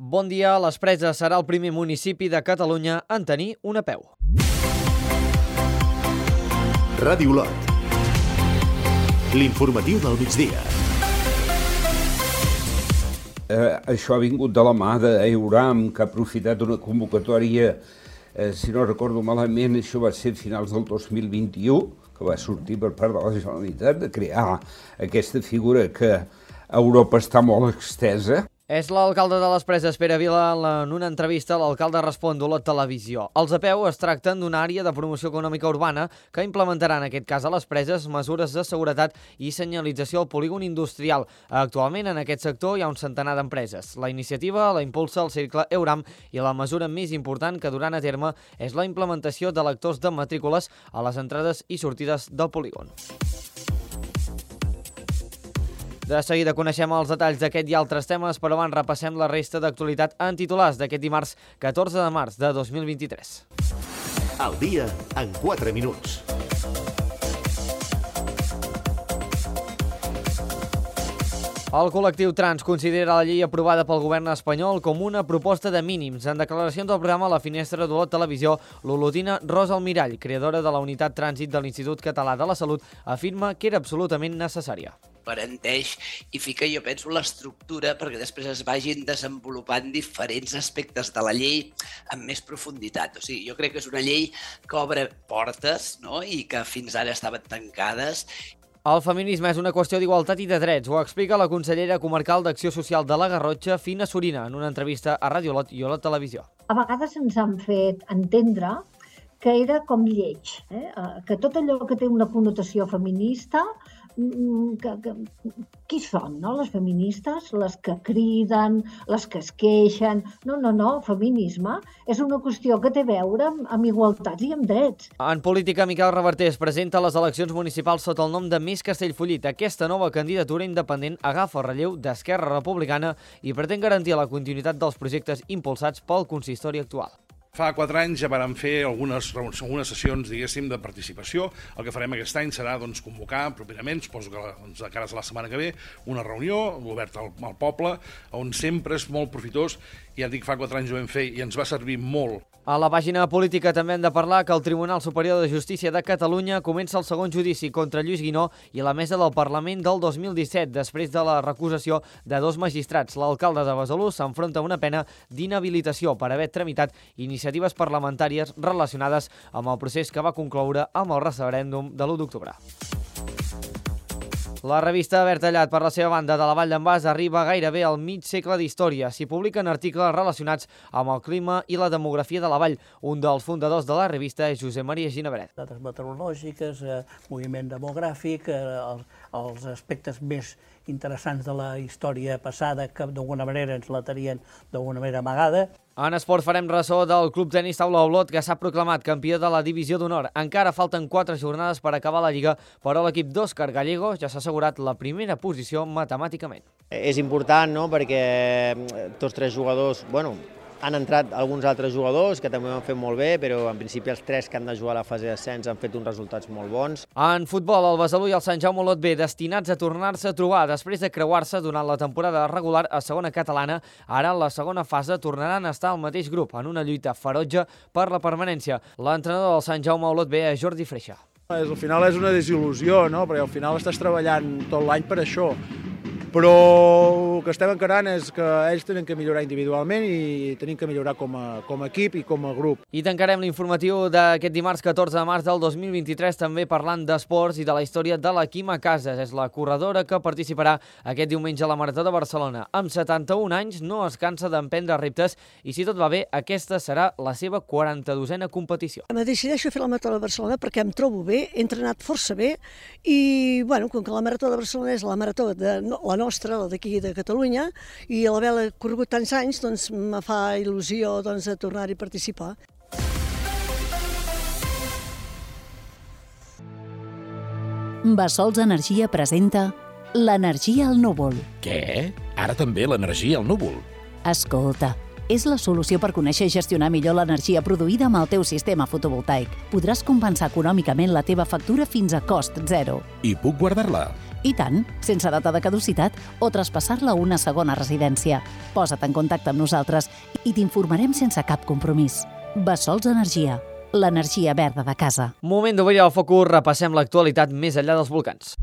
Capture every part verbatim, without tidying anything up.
Bon dia, Les Preses serà el primer municipi de Catalunya en tenir una A P E U. Ràdio Olot. L'informatiu del migdia. Eh, això ha vingut de la mà d'Euram, que ha aprofitat una convocatòria, eh, si no recordo malament, això va ser a finals del dos mil vint-i-u, que va sortir per part de la Generalitat, de crear aquesta figura que a Europa està molt extesa. És l'alcalde de Les Preses, Pere Vila, en una entrevista l'alcalde respon d'Olot Televisió. Els A P E U es tracten d'una àrea de promoció econòmica urbana que implementarà en aquest cas a Les Preses mesures de seguretat i senyalització al polígon industrial. Actualment en aquest sector hi ha un centenar d'empreses. La iniciativa la impulsa el Cercle Euram i la mesura més important que duran a terme és la implementació de lectors de matrícules a les entrades i sortides del polígon. De seguida coneixem els detalls d'aquest i altres temes, però abans repassem la resta d'actualitat en titulars d'aquest dimarts catorze de març de dos mil vint-i-tres. El dia en quatre minuts. El col·lectiu trans considera la llei aprovada pel govern espanyol com una proposta de mínims. En declaracions al programa La Finestra d'Olot Televisió, l'olotina Rosa Almirall, creadora de la unitat trànsit de l'Institut Català de la Salut, afirma que era absolutament necessària. Garanteix i fica, jo penso, l'estructura perquè després es vagin desenvolupant diferents aspectes de la llei amb més profunditat. O sigui, jo crec que és una llei que obre portes, no?, i que fins ara estaven tancades. El feminisme és una qüestió d'igualtat i de drets, ho explica la consellera comarcal d'Acció Social de la Garrotxa, Fina Sorina, en una entrevista a Ràdio Olot i Olot Televisió. A vegades ens han fet entendre que era com lleig, eh? que tot allò que té una connotació feminista, que, que, qui són, no? Les feministes, les que criden, les que es queixen. No, no, no, feminisme és una qüestió que té a veure amb, amb igualtats i amb drets. En política, Miquel Reverter es presenta a les eleccions municipals sota el nom de Més Castellfollit. Aquesta nova candidatura independent agafa el relleu d'Esquerra Republicana i pretén garantir la continuïtat dels projectes impulsats pel consistori actual. Fa quatre anys ja vàrem fer algunes, algunes sessions, diguéssim, de participació. El que farem aquest any serà doncs, convocar properament, suposo que doncs, de cara a la setmana que ve, una reunió oberta al, al poble, on sempre és molt profitós. Ja dic, fa quatre anys ho vam fer i ens va servir molt. A la pàgina política també hem de parlar que el Tribunal Superior de Justícia de Catalunya comença el segon judici contra Lluís Guinó i la mesa del Parlament del dos mil disset, després de la recusació de dos magistrats. L'alcalde de Besalú s'enfronta a una pena d'inhabilitació per haver tramitat iniciatives parlamentàries relacionades amb el procés que va concloure amb el referèndum de l'u d'octubre. La revista Verd Tallat, per la seva banda, de la Vall d'en Bas, arriba gairebé al mig segle d'història. S'hi publiquen articles relacionats amb el clima i la demografia de la vall. Un dels fundadors de la revista és Josep Maria Ginebret. Dades meteorològiques, eh, moviment demogràfic, eh, els, els aspectes més interessants de la història passada que d'alguna manera ens la tenien d'alguna manera amagada. En esport farem ressò del Club Tenis Taula Olot, que s'ha proclamat campió de la Divisió d'Honor. Encara falten quatre jornades per acabar la Lliga, però l'equip d'Òscar Gallego ja s'ha assegurat la primera posició matemàticament. És important, no?, perquè tots tres jugadors, bueno, han entrat alguns altres jugadors que també ho han fet molt bé, però en principi els tres que han de jugar a la fase d'ascens han fet uns resultats molt bons. En futbol, el Besalú i el Sant Jaume Olot B, destinats a tornar-se a trobar després de creuar-se durant la temporada regular a segona catalana, ara en la segona fase tornaran a estar al mateix grup, en una lluita ferotge per la permanència. L'entrenador del Sant Jaume Olot B és Jordi Freixa. Al final és una desil·lusió, no?, perquè al final estàs treballant tot l'any per això. Però el que estem encarant és que ells tenen que millorar individualment i tenim que millorar com a, com a equip i com a grup. I tancarem l'informatiu d'aquest dimarts catorze de març del dos mil vint-i-tres també parlant d'esports i de la història de la Quima Casas. És la corredora que participarà aquest diumenge a la Marató de Barcelona. Amb setanta-un anys no es cansa d'emprendre reptes i, si tot va bé, aquesta serà la seva quaranta-dosena competició. Me decideixo fer la Marató de Barcelona perquè em trobo bé, he entrenat força bé i, bueno, com que la Marató de Barcelona és la marató de la nostra, la d'aquí de Catalunya, i a l'haver corregut tants anys, doncs me fa il·lusió doncs, de tornar-hi a participar. Bassols Energia presenta l'energia al núvol. Què? Ara també l'energia al núvol? Escolta, és la solució per conèixer i gestionar millor l'energia produïda amb el teu sistema fotovoltaic. Podràs compensar econòmicament la teva factura fins a cost zero. I puc guardar-la? I tant, sense data de caducitat o traspassar-la a una segona residència. Posa't en contacte amb nosaltres i t'informarem sense cap compromís. Bessols Energia, l'energia verda de casa. Moment d'obrir el focus, repassem l'actualitat més enllà dels volcans.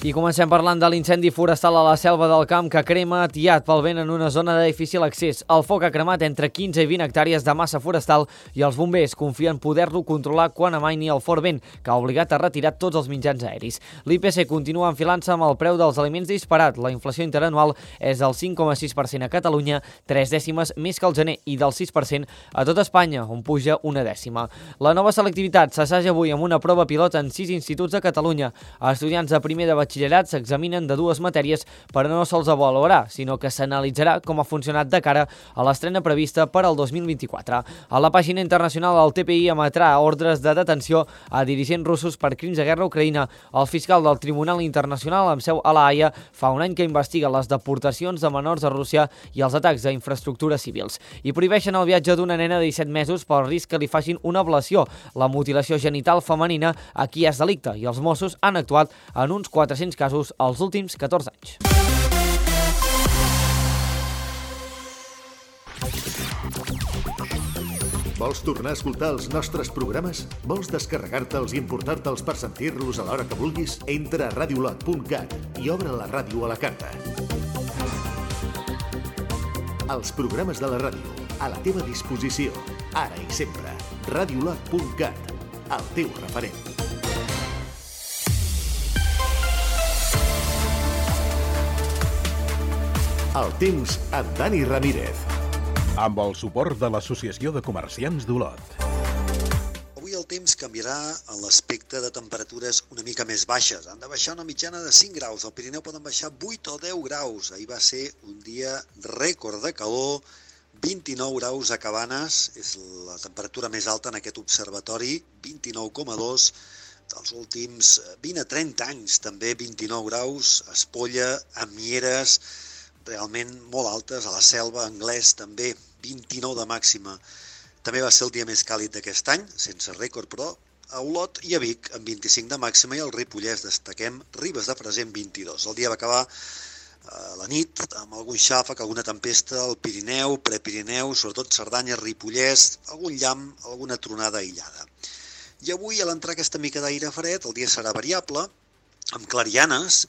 I comencem parlant de l'incendi forestal a la Selva del Camp que crema atiat pel vent en una zona de difícil accés. El foc ha cremat entre quinze i vint hectàrees de massa forestal i els bombers confien poder-lo controlar quan amaini el fort vent, que ha obligat a retirar tots els mitjans aeris. L'I P C continua enfilant-se amb el preu dels aliments disparat. La inflació interanual és del cinc coma sis per cent a Catalunya, tres dècimes més que al gener, i del sis per cent a tot Espanya, on puja una dècima. La nova selectivitat s'assaja avui amb una prova pilot en sis instituts de Catalunya. Estudiants de primer de batxillerat s'examinen de dues matèries, però no se'ls avaluarà, sinó que s'analitzarà com ha funcionat de cara a l'estrena prevista per al dos mil vint-i-quatre. A la pàgina internacional, el T P I emetrà ordres de detenció a dirigents russos per crims de guerra a Ucraïna. El fiscal del Tribunal Internacional amb seu a la Haia fa un any que investiga les deportacions de menors a Rússia i els atacs a infraestructures civils. I prohibeixen el viatge d'una nena de disset mesos pel risc que li facin una ablació. La mutilació genital femenina aquí és delicte i els Mossos han actuat en uns quatre-cents casos als últims catorze anys. Vols tornar a escoltar els nostres programes? Vols descarregar-te'ls i importar-te'ls per sentir-los a l'hora que vulguis? Entra a radiolot punt cat i obre la ràdio a la carta. Els programes de la ràdio, a la teva disposició, ara i sempre. radiolot punt cat, el teu referent. El temps amb Dani Ramírez. Amb el suport de l'Associació de Comerciants d'Olot. Avui el temps canviarà en l'aspecte de temperatures una mica més baixes. Han de baixar una mitjana de cinc graus. Al Pirineu poden baixar vuit o deu graus. Ahir va ser un dia rècord de calor, vint-i-nou graus a Cabanes. És la temperatura més alta en aquest observatori, vint-i-nou coma dos. Dels últims vint a trenta anys, també vint-i-nou graus. A Espolla, a Mieres, realment molt altes, a la Selva, Anglès també, vint-i-nou de màxima. També va ser el dia més càlid d'aquest any, sense rècord, però a Olot i a Vic amb vint-i-cinc de màxima i al Ripollès destaquem Ribes de Freser amb vint-i-dos. El dia va acabar a la nit amb algun xàfec, alguna tempesta al Pirineu, Prepirineu, sobretot Cerdanya, Ripollès, algun llamp, alguna tronada aïllada. I avui, a l'entrar aquesta mica d'aire fred, el dia serà variable, amb clarianes.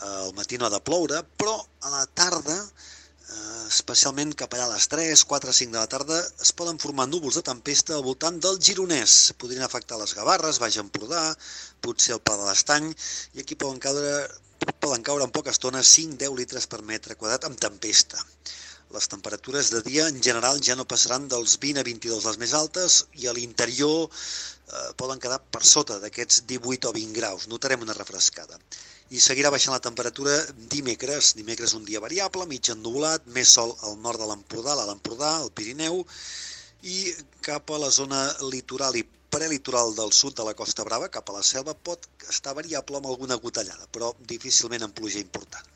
Al matí no ha de ploure, però a la tarda, especialment cap allà a les tres, quatre, cinc de la tarda, es poden formar núvols de tempesta al voltant del Gironès. Podrien afectar les Gavarres, Baix Empordà, potser el Pla de l'Estany, i aquí poden caure, poden caure en poca estona cinc a deu litres per metre quadrat amb tempesta. Les temperatures de dia en general ja no passaran dels vint a vint-i-dos les més altes i a l'interior eh, poden quedar per sota d'aquests divuit o vint graus. Notarem una refrescada. I seguirà baixant la temperatura dimecres. Dimecres un dia variable, mig ennuvolat, més sol al nord de l'Empordà, a l'Empordà, al Pirineu, i cap a la zona litoral i prelitoral del sud de la Costa Brava, cap a la Selva, pot estar variable amb alguna gotellada, però difícilment amb pluja important.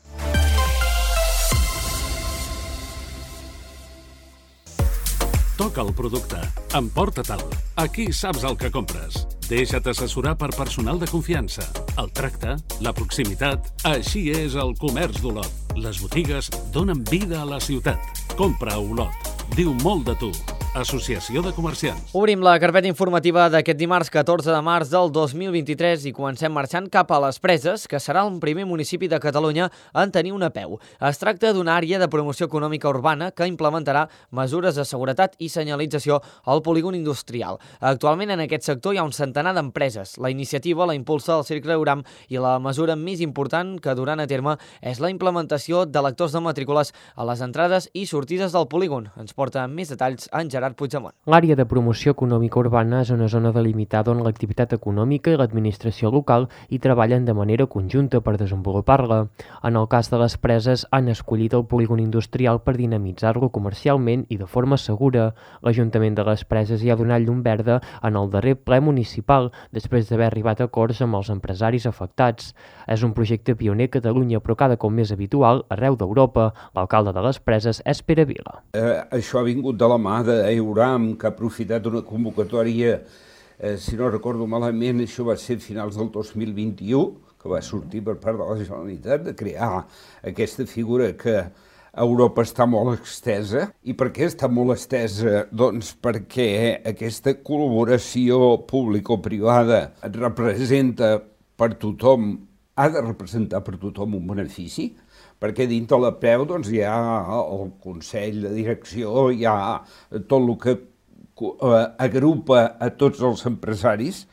Toca el producte, emporta-te'l. Aquí saps el que compres. Deixa't assessorar per personal de confiança. El tracte, la proximitat, així és el comerç d'Olot. Les botigues donen vida a la ciutat. Compra a Olot. Diu molt de tu. Associació de Comerciants. Obrim la carpeta informativa d'aquest dimarts catorze de març del dos mil vint-i-tres i comencem marxant cap a les Preses, que serà el primer municipi de Catalunya en tenir una P E U. Es tracta d'una àrea de promoció econòmica urbana que implementarà mesures de seguretat i senyalització al polígon industrial. Actualment en aquest sector hi ha un centenar d'empreses. La iniciativa la impulsa el Cercle Euram i la mesura més important que duran a terme és la implementació de lectors de matrícules a les entrades i sortides del polígon. Ens porta més detalls en Gerard Gerard Puigdemont. L'àrea de promoció econòmica urbana és una zona delimitada on l'activitat econòmica i l'administració local hi treballen de manera conjunta per desenvolupar-la. En el cas de les preses, han escollit el polígon industrial per dinamitzar-lo comercialment i de forma segura. L'Ajuntament de les Preses hi ha donat llum verda en el darrer ple municipal, després d'haver arribat a acords amb els empresaris afectats. És un projecte pioner a Catalunya, però cada cop més habitual arreu d'Europa. L'alcalde de les Preses és Pere Vila. Eh, això ha vingut de la mà d'Euram, que ha aprofitat una convocatòria, eh, si no recordo malament, això va ser a finals del dos mil vint-i-u, que va sortir per part de la Generalitat, de crear aquesta figura que a Europa està molt estesa. I per què està molt estesa? Doncs perquè aquesta col·laboració público-privada representa per tothom, ha de representar per tothom un benefici, perquè dintre la P E U doncs, hi ha el Consell de Direcció, hi ha tot el que agrupa a tots els empresaris,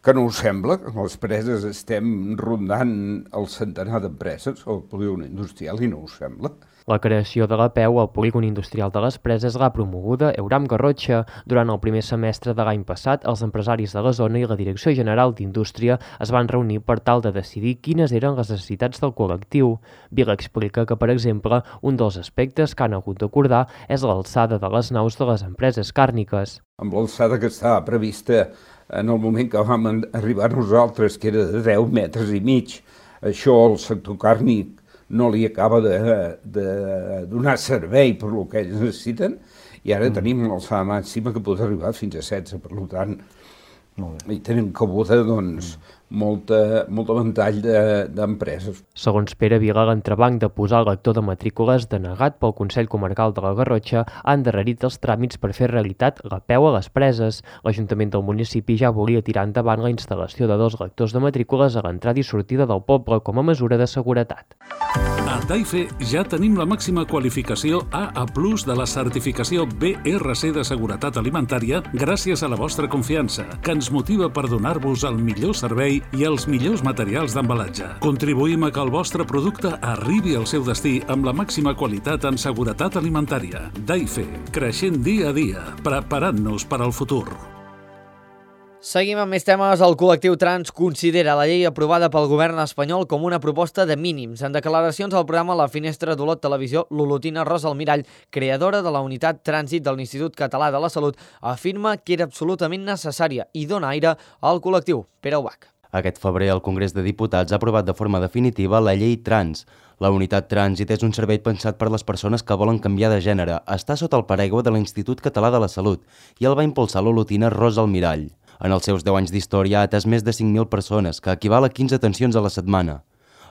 que no us sembla, que a les preses estem rondant el centenar d'empreses, el polígon industrial, i no us sembla? La creació de la P E U al polígon industrial de les Preses l'ha promoguda Euram Garrotxa. Durant el primer semestre de l'any passat, els empresaris de la zona i la Direcció General d'Indústria es van reunir per tal de decidir quines eren les necessitats del col·lectiu. Vila explica que, per exemple, un dels aspectes que han hagut d'acordar és l'alçada de les naus de les empreses càrniques. Amb l'alçada que estava prevista en el moment que vam arribar nosaltres, que era de deu metres i mig, això al sector càrnic no li acaba de, de donar servei per el que ells necessiten, i ara mm. tenim l'alçada màxima que pot arribar fins a setze, per tant, i tenim cabuda doncs, mm. molta, molt ventall d'empreses. De, Segons Pere Vila, l'entrebanc de posar el lector de matrícules denegat pel Consell Comarcal de la Garrotxa ha endarrerit els tràmits per fer realitat la P E U a les Preses. L'Ajuntament del municipi ja volia tirar endavant la instal·lació de dos lectors de matrícules a l'entrada i sortida del poble com a mesura de seguretat. A Daife ja tenim la màxima qualificació A A plus de la certificació B R C de seguretat alimentària gràcies a la vostra confiança, que ens motiva per donar-vos el millor servei i els millors materials d'embalatge. Contribuïm a que el vostre producte arribi al seu destí amb la màxima qualitat en seguretat alimentària. Daife, creixent dia a dia, preparant-nos per al futur. Seguim amb més temes. El col·lectiu trans considera la llei aprovada pel govern espanyol com una proposta de mínims. En declaracions al programa La Finestra d'Olot Televisió, l'olotina Rosa Almirall, creadora de la unitat trànsit de l'Institut Català de la Salut, afirma que era absolutament necessària i dona aire al col·lectiu. Pere Ubach. Aquest febrer el Congrés de Diputats ha aprovat de forma definitiva la llei trans. La unitat trànsit és un servei pensat per les persones que volen canviar de gènere. Està sota el paraigua de l'Institut Català de la Salut i el va impulsar l'olotina Rosa Almirall. En els seus deu anys d'història ha atès més de cinc mil persones, que equival a quinze atencions a la setmana.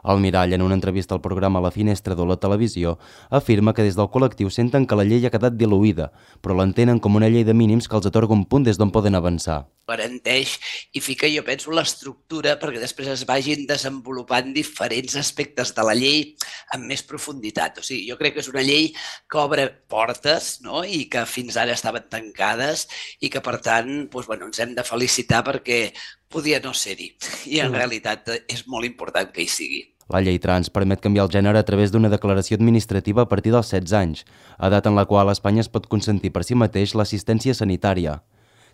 Almirall, en una entrevista al programa La Finestra d'Olot Televisió, afirma que des del col·lectiu senten que la llei ha quedat diluïda, però l'entenen com una llei de mínims que els atorga un punt des d'on poden avançar. Garanteix i fica, jo penso, l'estructura perquè després es vagin desenvolupant diferents aspectes de la llei amb més profunditat. O sigui, jo crec que és una llei que obre portes, no?, i que fins ara estaven tancades i que, per tant, doncs, bueno, ens hem de felicitar perquè podia no ser-hi. I en realitat és molt important que hi sigui. La llei trans permet canviar el gènere a través d'una declaració administrativa a partir dels setze anys, edat en la qual Espanya es pot consentir per si mateix l'assistència sanitària.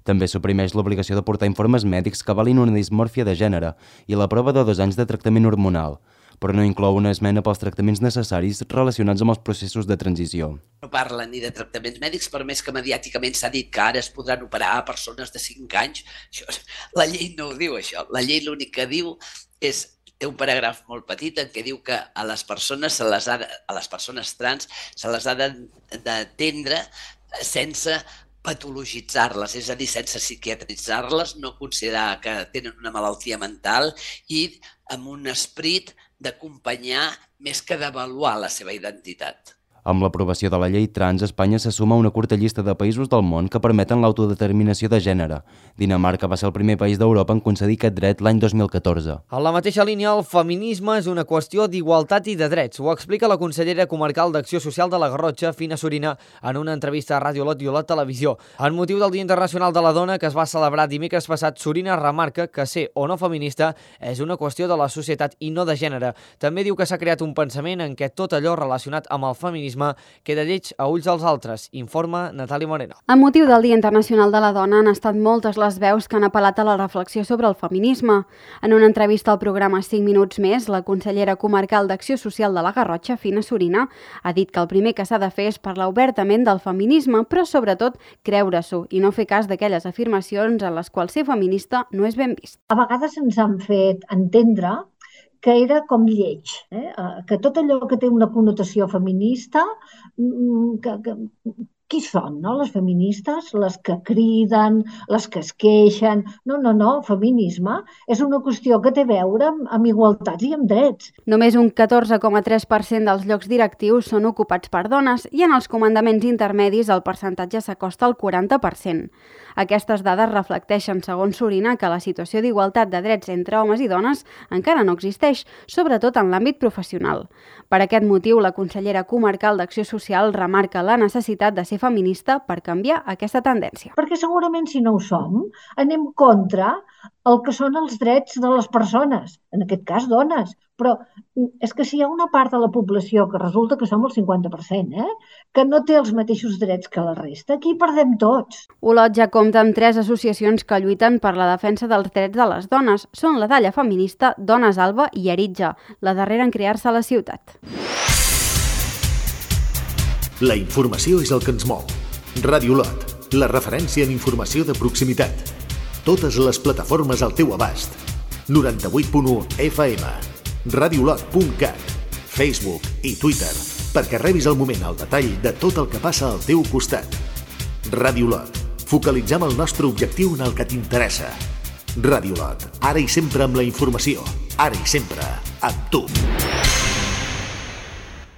També suprimeix l'obligació de portar informes mèdics que avalin una dismòrfia de gènere i la prova de dos anys de tractament hormonal, però no inclou una esmena pels tractaments necessaris relacionats amb els processos de transició. No parla ni de tractaments mèdics, per més que mediàticament s'ha dit que ara es podran operar a persones de cinc anys. Això, la llei no ho diu, això. La llei l'únic que diu és, té un paràgraf molt petit en què diu que a les persones, se les ha de, a les persones trans se les ha d'atendre sense patologitzar-les, és a dir, sense psiquiatritzar-les, no considerar que tenen una malaltia mental i amb un esperit d'acompanyar més que d'avaluar la seva identitat. Amb l'aprovació de la llei trans, Espanya se suma a una curta llista de països del món que permeten l'autodeterminació de gènere. Dinamarca va ser el primer país d'Europa en concedir aquest dret l'any dos mil catorze. En la mateixa línia, el feminisme és una qüestió d'igualtat i de drets. Ho explica la consellera comarcal d'Acció Social de la Garrotxa, Fina Sorina, en una entrevista a Ràdio Olot i Olot Televisió. En motiu del Dia Internacional de la Dona, que es va celebrar dimecres passat, Sorina remarca que ser o no feminista és una qüestió de la societat i no de gènere. També diu que s'ha creat un pensament en què tot allò relacionat amb el feminisme feminisme queda lleig a ulls dels altres, informa Natàlia Moreno. Amb motiu del Dia Internacional de la Dona han estat moltes les veus que han apel·lat a la reflexió sobre el feminisme. En una entrevista al programa cinc minuts més, la consellera comarcal d'Acció Social de la Garrotxa, Fina Sorina, ha dit que el primer que s'ha de fer és parlar obertament del feminisme, però sobretot creure-s'ho i no fer cas d'aquelles afirmacions en les quals ser feminista no és ben vist. A vegades ens han fet entendre que era com lleig, eh? que tot allò que té una connotació feminista, que, que, qui són, no? Les feministes, les que criden, les que es queixen... No, no, no, feminisme és una qüestió que té a veure amb, amb igualtats i amb drets. Només un catorze coma tres per cent dels llocs directius són ocupats per dones i en els comandaments intermedis el percentatge s'acosta al quaranta per cent. Aquestes dades reflecteixen, segons Sorina, que la situació d'igualtat de drets entre homes i dones encara no existeix, sobretot en l'àmbit professional. Per aquest motiu, la consellera comarcal d'Acció Social remarca la necessitat de ser feminista per canviar aquesta tendència. Perquè segurament si no ho som, anem contra el que són els drets de les persones, en aquest cas dones. Però és que si hi ha una part de la població, que resulta que som el cinquanta per cent, eh, que no té els mateixos drets que la resta, aquí perdem tots. Olot ja compta amb tres associacions que lluiten per la defensa dels drets de les dones. Són la Dalla Feminista, Dones Alba i Aritja, la darrera en crear-se a la ciutat. La informació és el que ens mou. Ràdio Olot, la referència en informació de proximitat. Totes les plataformes al teu abast. noranta-vuit punt u F M, radiolot punt cat, Facebook i Twitter, perquè rebis al moment el detall de tot el que passa al teu costat. Ràdio Olot, focalitzem el nostre objectiu en el que t'interessa. Ràdio Olot, ara i sempre amb la informació, ara i sempre amb tu.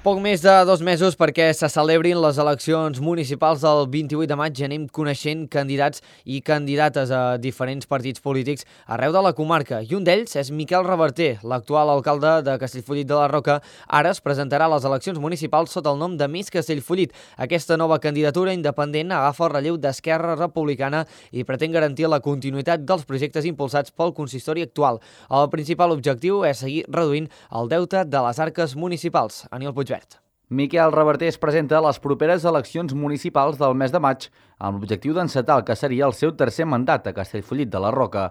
Poc més de dos mesos perquè se celebrin les eleccions municipals del vint-i-vuit de maig. Anem coneixent candidats i candidates a diferents partits polítics arreu de la comarca. I un d'ells és Miquel Reverter, l'actual alcalde de Castellfollit de la Roca. Ara es presentarà a les eleccions municipals sota el nom de Més Castellfollit. Aquesta nova candidatura independent agafa el relleu d'Esquerra Republicana i pretén garantir la continuïtat dels projectes impulsats pel consistori actual. El principal objectiu és seguir reduint el deute de les arques municipals. Aniol Puigverd. Miquel Reverter es presenta a les properes eleccions municipals del mes de maig amb l'objectiu d'encetar el que seria el seu tercer mandat a Castellfollit de la Roca.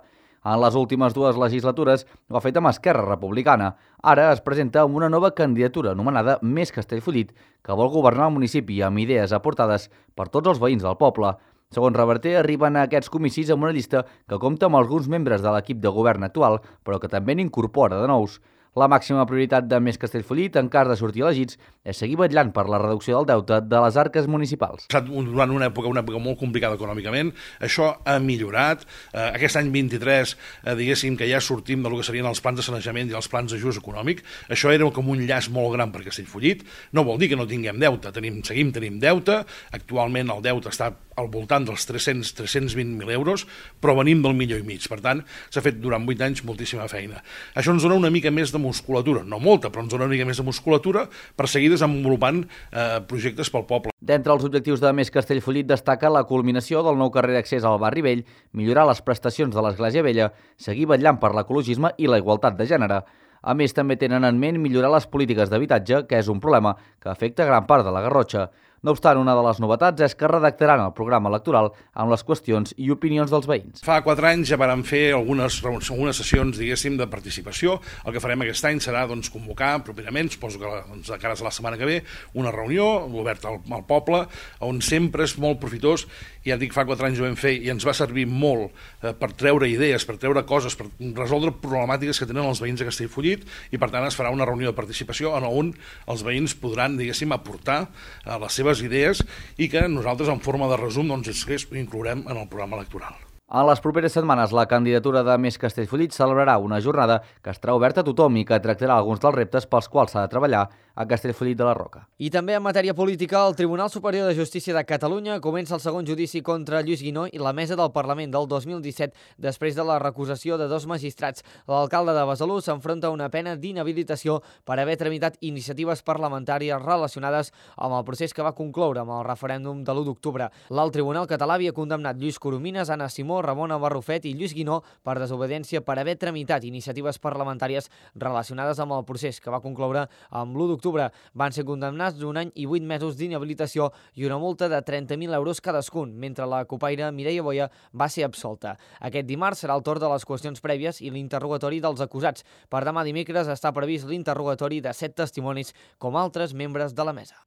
En les últimes dues legislatures ho ha fet amb Esquerra Republicana. Ara es presenta amb una nova candidatura anomenada Més Castellfollit, que vol governar el municipi amb idees aportades per tots els veïns del poble. Segons Reverter, arriben a aquests comicis amb una llista que compta amb alguns membres de l'equip de govern actual, però que també n'incorpora de nous. La màxima prioritat de Més Castellfollit, en cas de sortir elegits, és seguir vetllant per la reducció del deute de les arques municipals. Durant una època, una època molt complicada econòmicament, això ha millorat. Eh, aquest any vint-i-tres, eh, diguéssim que ja sortim del que serien els plans de sanejament i els plans d'ajust econòmic. Això era com un llaç molt gran per Castellfollit. No vol dir que no tinguem deute, tenim, seguim tenim deute. Actualment el deute està al voltant dels tres-cents a tres-cents vint mil euros, però venim del milió i mig. Per tant, s'ha fet durant vuit anys moltíssima feina. Això ens dona una mica més de musculatura, no molta, però ens dona una mica més de musculatura per seguir desenvolupant eh, projectes pel poble. D'entre els objectius de Més Castellfollit destaca la culminació del nou carrer d'accés al barri vell, millorar les prestacions de l'Església Vella, seguir vetllant per l'ecologisme i la igualtat de gènere. A més, també tenen en ment millorar les polítiques d'habitatge, que és un problema que afecta gran part de la Garrotxa. No obstant, una de les novetats és que redactaran el programa electoral amb les qüestions i opinions dels veïns. Fa quatre anys ja vam fer algunes, algunes sessions, diguéssim, de participació. El que farem aquest any serà doncs, convocar properament, suposo que doncs, de cara a la setmana que ve, una reunió oberta al, al poble, on sempre és molt profitós. Ja dic, fa quatre anys ho vam fer i ens va servir molt eh, per treure idees, per treure coses, per resoldre problemàtiques que tenen els veïns de Castellfollit, i per tant es farà una reunió de participació on els veïns podran, diguéssim, aportar eh, les seves idees i que nosaltres en forma de resum doncs, ho inclourem en el programa electoral. En les properes setmanes, la candidatura de Més Castellfollit celebrarà una jornada que estarà oberta a tothom i que tractarà alguns dels reptes pels quals s'ha de treballar a Castellfollit de la Roca. I també en matèria política, el Tribunal Superior de Justícia de Catalunya comença el segon judici contra Lluís Guinó i la Mesa del Parlament del dos mil disset després de la recusació de dos magistrats. L'alcalde de Besalú s'enfronta a una pena d'inhabilitació per haver tramitat iniciatives parlamentàries relacionades amb el procés que va concloure amb el referèndum de l'u d'octubre. L'alt Tribunal català havia condemnat Lluís Coromines, Anna Simó, Ramon Barrufet i Lluís Guinó per desobediència per haver tramitat iniciatives parlamentàries relacionades amb el procés, que va concloure amb l'u d'octubre. Van ser condemnats d'un any i vuit mesos d'inhabilitació i una multa de trenta mil euros cadascun, mentre la copaire Mireia Boia va ser absolta. Aquest dimarts serà el torn de les qüestions prèvies i l'interrogatori dels acusats. Per demà dimecres està previst l'interrogatori de set testimonis com altres membres de la mesa.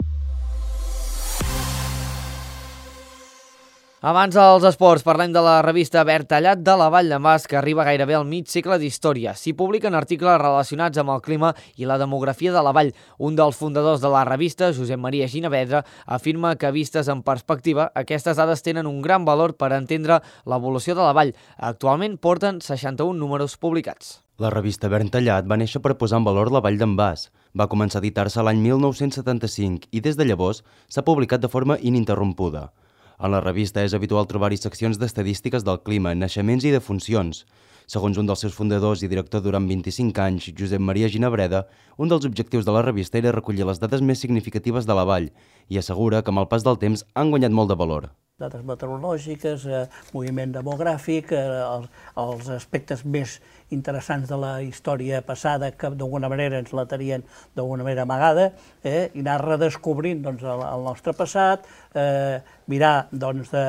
Abans dels esports, parlem de la revista Verd Tallat de la Vall d'en Bas, que arriba gairebé al mig segle d'història. S'hi publiquen articles relacionats amb el clima i la demografia de la vall. Un dels fundadors de la revista, Josep Maria Ginevedra, afirma que, vistes en perspectiva, aquestes dades tenen un gran valor per entendre l'evolució de la vall. Actualment porten seixanta-un números publicats. La revista Verd Tallat va néixer per posar en valor la Vall d'en Bas. Va començar a editar-se l'any mil nou-cents setanta-cinc i des de llavors s'ha publicat de forma ininterrompuda. En la revista és habitual trobar-hi seccions d'estadístiques del clima, naixements i defuncions. Segons un dels seus fundadors i director durant vint-i-cinc anys, Josep Maria Ginebreda, un dels objectius de la revista era recollir les dades més significatives de la vall i assegura que amb el pas del temps han guanyat molt de valor. Dades meteorològiques, eh, moviment demogràfic, eh, els, els aspectes més interessants de la història passada que d'alguna manera ens la tenien d'alguna manera amagada, eh, i anar redescobrint doncs, el, el nostre passat, eh, mirar doncs, de,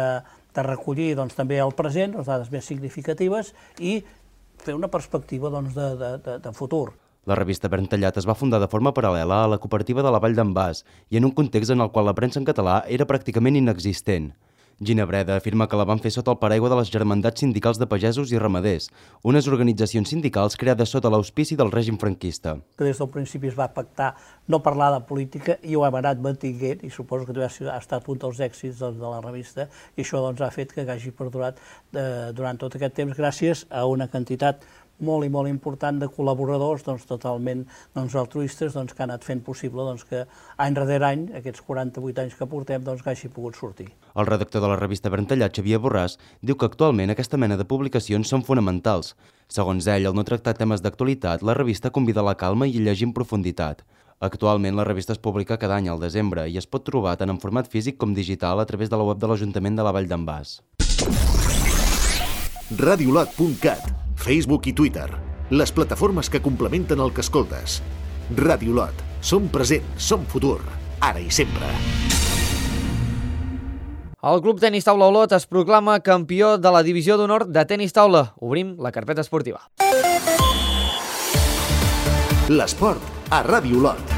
de recollir doncs, també el present, les dades més significatives, i fer una perspectiva doncs, de, de, de, de futur. La revista Verd Tallat es va fundar de forma paral·lela a la cooperativa de la Vall d'en Bas i en un context en el qual la premsa en català era pràcticament inexistent. Ginebreda afirma que la van fer sota el paraigua de les Germandats Sindicals de Pagesos i Ramaders, unes organitzacions sindicals creades sota l'auspici del règim franquista. Que des del principi es va pactar no parlar de política i ho hem anat mantinguent i suposo que ha estat un dels èxits doncs, de la revista i això doncs, ha fet que hagi perdurat eh, durant tot aquest temps gràcies a una quantitat molt i molt important de col·laboradors doncs, totalment doncs, altruistes doncs, que han anat fent possible doncs, que any darrere any, aquests quaranta-vuit anys que portem, doncs, que hagi pogut sortir. El redactor de la revista Verd Tallat, Xavier Borràs, diu que actualment aquesta mena de publicacions són fonamentals. Segons ell, al no tractar temes d'actualitat, la revista convida a la calma i a llegir en profunditat. Actualment, la revista es publica cada any al desembre i es pot trobar tant en format físic com digital a través de la web de l'Ajuntament de la Vall d'en Bas. radiolot punt cat, Facebook i Twitter, les plataformes que complementen el que escoltes. Radiolot, som present, som futur, ara i sempre. El Club Tenis Taula Olot es proclama campió de la divisió d'honor de tenis taula. Obrim la carpeta esportiva. L'esport a Ràdio Olot.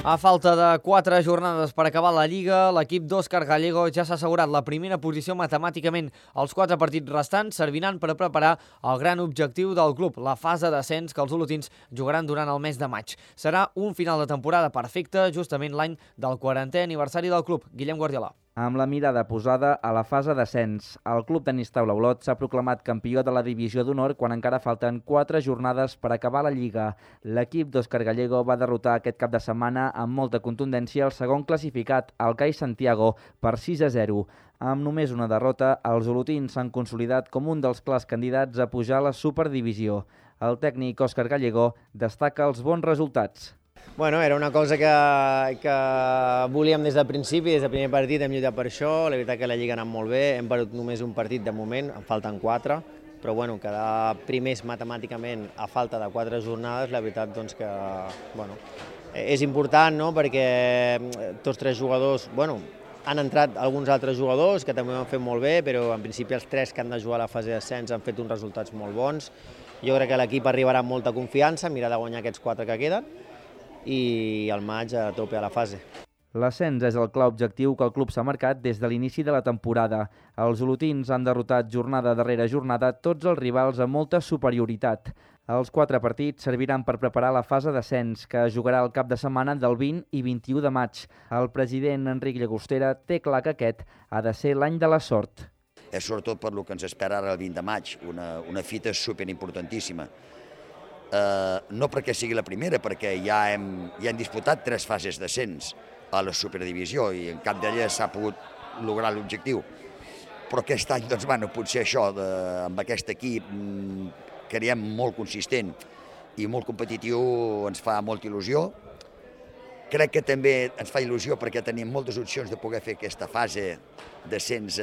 A falta de quatre jornades per acabar la Lliga, l'equip d'Òscar Gallego ja s'ha assegurat la primera posició matemàticament. Els quatre partits restants serviran per preparar el gran objectiu del club, la fase d'ascens que els olotins jugaran durant el mes de maig. Serà un final de temporada perfecte, justament l'any del quarantè aniversari del club. Guillem Guardiola. Amb la mirada posada a la fase d'ascens, el Club Tenis Taula Olot s'ha proclamat campió de la divisió d'honor quan encara falten quatre jornades per acabar la Lliga. L'equip d'Òscar Gallego va derrotar aquest cap de setmana amb molta contundència el segon classificat, el C A I Santiago, per sis a zero. Amb només una derrota, els olotins s'han consolidat com un dels clars candidats a pujar a la Superdivisió. El tècnic Òscar Gallego destaca els bons resultats. Bueno, era una cosa que, que volíem des del principi, des del primer partit hem lluitat per això, la veritat que la Lliga ha anat molt bé, hem perdut només un partit de moment, en falten quatre, però bueno, quedar primers matemàticament a falta de quatre jornades, la veritat doncs que bueno, és important, no?, perquè tots tres jugadors, bueno, han entrat alguns altres jugadors que també ho han fet molt bé, però en principi els tres que han de jugar a la fase d'ascens han fet uns resultats molt bons. Jo crec que l'equip arribarà amb molta confiança, mirar de guanyar aquests quatre que queden, i al maig a tope a la fase. L'ascens és el clar objectiu que el club s'ha marcat des de l'inici de la temporada. Els olotins han derrotat jornada darrere jornada tots els rivals amb molta superioritat. Els quatre partits serviran per preparar la fase d'ascens, que es jugarà el cap de setmana del vint i vint-i-u de maig. El president Enric Llagostera té clar que aquest ha de ser l'any de la sort. És sobretot per lo que ens espera ara el vint de maig, una, una fita superimportantíssima. Uh, no perquè sigui la primera, perquè ja hem, ja hem disputat tres fases d'ascens a la Superdivisió i en cap d'elles s'ha pogut lograr l'objectiu. Però aquest any, doncs, bueno, potser això, de, amb aquest equip, creiem molt consistent i molt competitiu, ens fa molta il·lusió. Crec que també ens fa il·lusió perquè tenim moltes opcions de poder fer aquesta fase d'ascens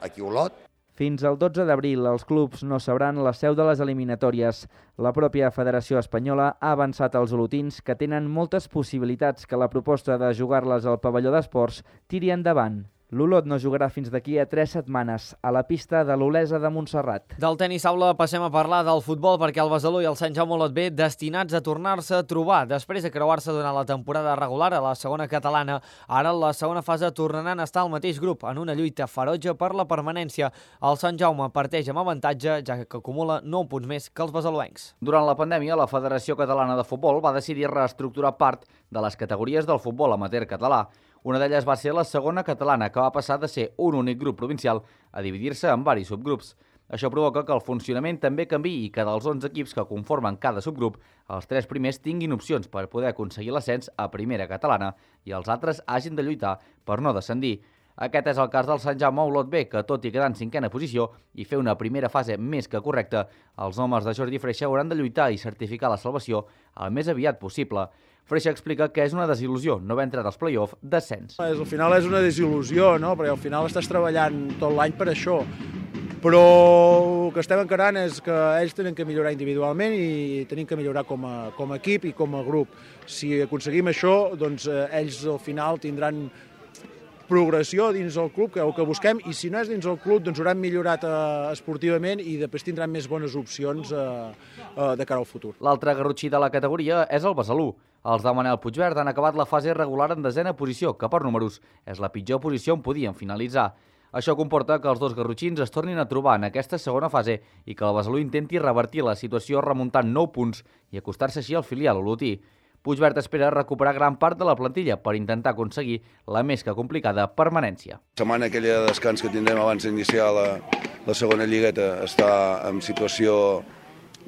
aquí a Olot. Fins al dotze d'abril, els clubs no sabran la seu de les eliminatòries. La pròpia Federació Espanyola ha avançat als olotins que tenen moltes possibilitats que la proposta de jugar-les al pavelló d'esports tiri endavant. L'Olot no jugarà fins d'aquí a tres setmanes a la pista de l'Olesa de Montserrat. Del tenis taula passem a parlar del futbol perquè el Besalú i el Sant Jaume Olot B destinats a tornar-se a trobar després de creuar-se durant la temporada regular a la segona catalana. Ara, en la segona fase, tornaran a estar al mateix grup en una lluita ferotge per la permanència. El Sant Jaume parteix amb avantatge, ja que acumula nou punts més que els besaluencs. Durant la pandèmia, la Federació Catalana de Futbol va decidir reestructurar part de les categories del futbol amateur català. Una d'elles va ser la segona catalana, que va passar de ser un únic grup provincial a dividir-se en varis subgrups. Això provoca que el funcionament també canviï i que dels onze equips que conformen cada subgrup, els tres primers tinguin opcions per poder aconseguir l'ascens a primera catalana i els altres hagin de lluitar per no descendir. Aquest és el cas del Sant Jaume Olot B, que tot i quedar en cinquena posició i fer una primera fase més que correcta, els homes de Jordi Freixa hauran de lluitar i certificar la salvació el més aviat possible. Freixa explica que és una desil·lusió no haver entrat als play-off d'ascens. Al final és una desil·lusió, no? Perquè al final estàs treballant tot l'any per això. Però el que estem encarant és que ells tenen que millorar individualment i tenim que millorar com a, com a equip i com a grup. Si aconseguim això, doncs ells al final tindran progressió dins el club, que és el que busquem, i si no és dins el club, doncs hauran millorat eh, esportivament i després tindran més bones opcions eh, eh, de cara al futur. L'altre garrotxí de la categoria és el Besalú. Els de Manel Puigverd han acabat la fase regular en desena posició, que per números és la pitjor posició on podien finalitzar. Això comporta que els dos garrotxins es tornin a trobar en aquesta segona fase i que el Besalú intenti revertir la situació remuntant nou punts i acostar-se així al filial olotí. Puigverd espera recuperar gran part de la plantilla per intentar aconseguir la més que complicada permanència. La setmana aquella de descans que tindrem abans d'iniciar la, la segona lligueta està en situació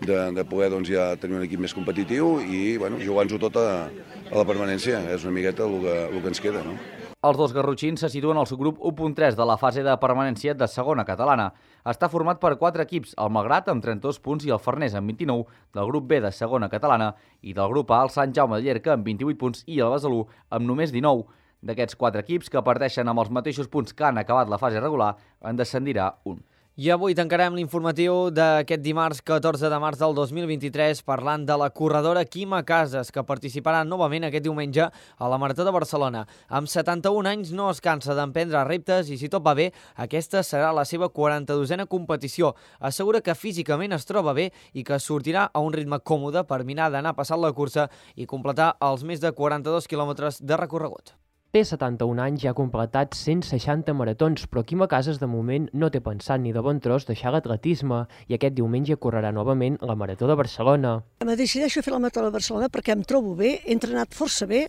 de, de poder doncs, ja tenir un equip més competitiu i bueno, jugar-nos-ho tot a, a la permanència. És una miqueta el que, el que ens queda, no? Els dos garrotxins se situen al subgrup u punt tres de la fase de permanència de segona catalana. Està format per quatre equips, el Malgrat amb trenta-dos punts i el Farners amb vint-i-nou, del grup B de segona catalana, i del grup A el Sant Jaume de Llierca amb vint-i-vuit punts i el Besalú amb només dinou. D'aquests quatre equips, que parteixen amb els mateixos punts que han acabat la fase regular, en descendirà un. I avui tancarem l'informatiu d'aquest dimarts catorze de març del dos mil vint-i-tres parlant de la corredora Quima Casas, que participarà novament aquest diumenge a la Marató de Barcelona. Amb setanta-un anys no es cansa d'emprendre reptes i, si tot va bé, aquesta serà la seva quaranta-dosena competició. Assegura que físicament es troba bé i que sortirà a un ritme còmode per mirar d'anar passant la cursa i completar els més de quaranta-dos quilòmetres de recorregut. Té setanta-un anys i ha completat cent seixanta maratons, però Quima Casas de moment no té pensat ni de bon tros deixar l'atletisme i aquest diumenge correrà novament la Marató de Barcelona. Me decideixo fer la Marató de Barcelona perquè em trobo bé, he entrenat força bé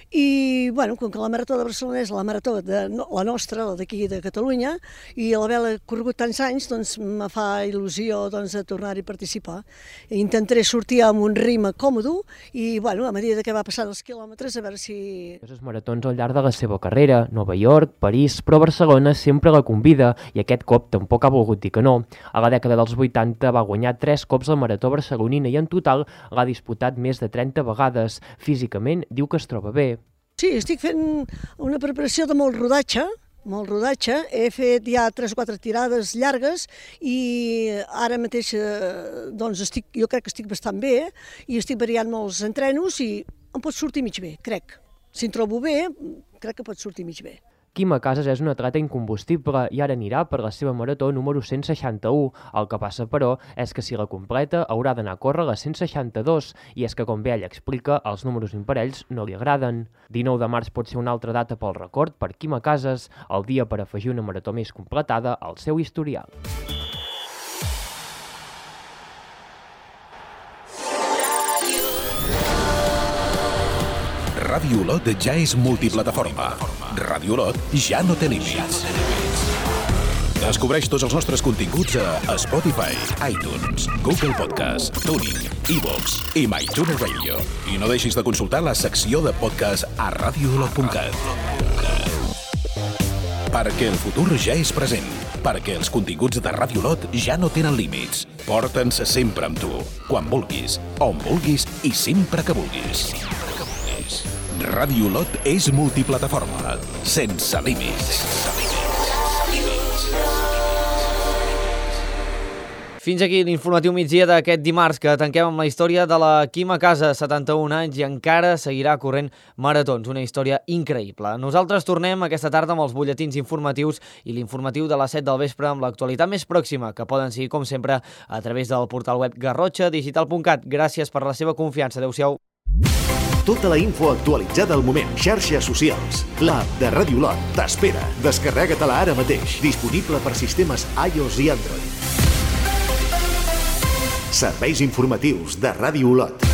i, bueno, com que la Marató de Barcelona és la marató de la nostra, la d'aquí de Catalunya, i l'haver corregut tants anys, doncs me fa il·lusió doncs, de tornar-hi a participar. Intentaré sortir amb un ritme còmode i, bueno, a mesura que va passant els quilòmetres, a veure si... Els maratons al llarg de la seva carrera, Nova York, París, però Barcelona sempre la convida i aquest cop tampoc ha volgut dir que no. A la dècada dels vuitanta va guanyar tres cops la Marató barcelonina i en total l'ha disputat més de trenta vegades. Físicament diu que es troba bé. Sí, estic fent una preparació de molt rodatge, molt rodatge. He fet ja tres o quatre tirades llargues i ara mateix doncs estic, jo crec que estic bastant bé i estic variant molts entrenos i em pot sortir mig bé, crec. Si em trobo bé, crec que pot sortir mig bé. Quima Casas és un atleta incombustible i ara anirà per la seva marató número cent seixanta-u. El que passa, però, és que si la completa haurà d'anar a córrer la cent seixanta-dos i és que, com bé ell explica, els números imparells no li agraden. dinou de març pot ser una altra data pel record per Quima Casas, el dia per afegir una marató més completada al seu historial. Ràdio Olot ja és multiplataforma. Ràdio Olot ja no té límits. Descobreix tots els nostres continguts a Spotify, iTunes, Google Podcast, TuneIn, iVoox i MyTuner Radio. I no deixis de consultar la secció de podcast a radio olot punt cat. Perquè el futur ja és present. Perquè els continguts de Ràdio Olot ja no tenen límits. Porta'ns sempre amb tu, quan vulguis, on vulguis i sempre que vulguis. Ràdio Olot és multiplataforma, sense límits. Fins aquí l'informatiu migdia d'aquest dimarts, que tanquem amb la història de la Quim a casa, setanta-un anys, i encara seguirà corrent maratons. Una història increïble. Nosaltres tornem aquesta tarda amb els butlletins informatius i l'informatiu de les set del vespre amb l'actualitat més pròxima, que poden seguir, com sempre, a través del portal web garrotxa digital punt cat. Gràcies per la seva confiança. Adéu-siau. Tota la info actualitzada al moment. Xarxes socials. L'app de Ràdio Olot t'espera. Descarrega-te-la ara mateix. Disponible per sistemes iOS i Android. Serveis informatius de Ràdio Olot.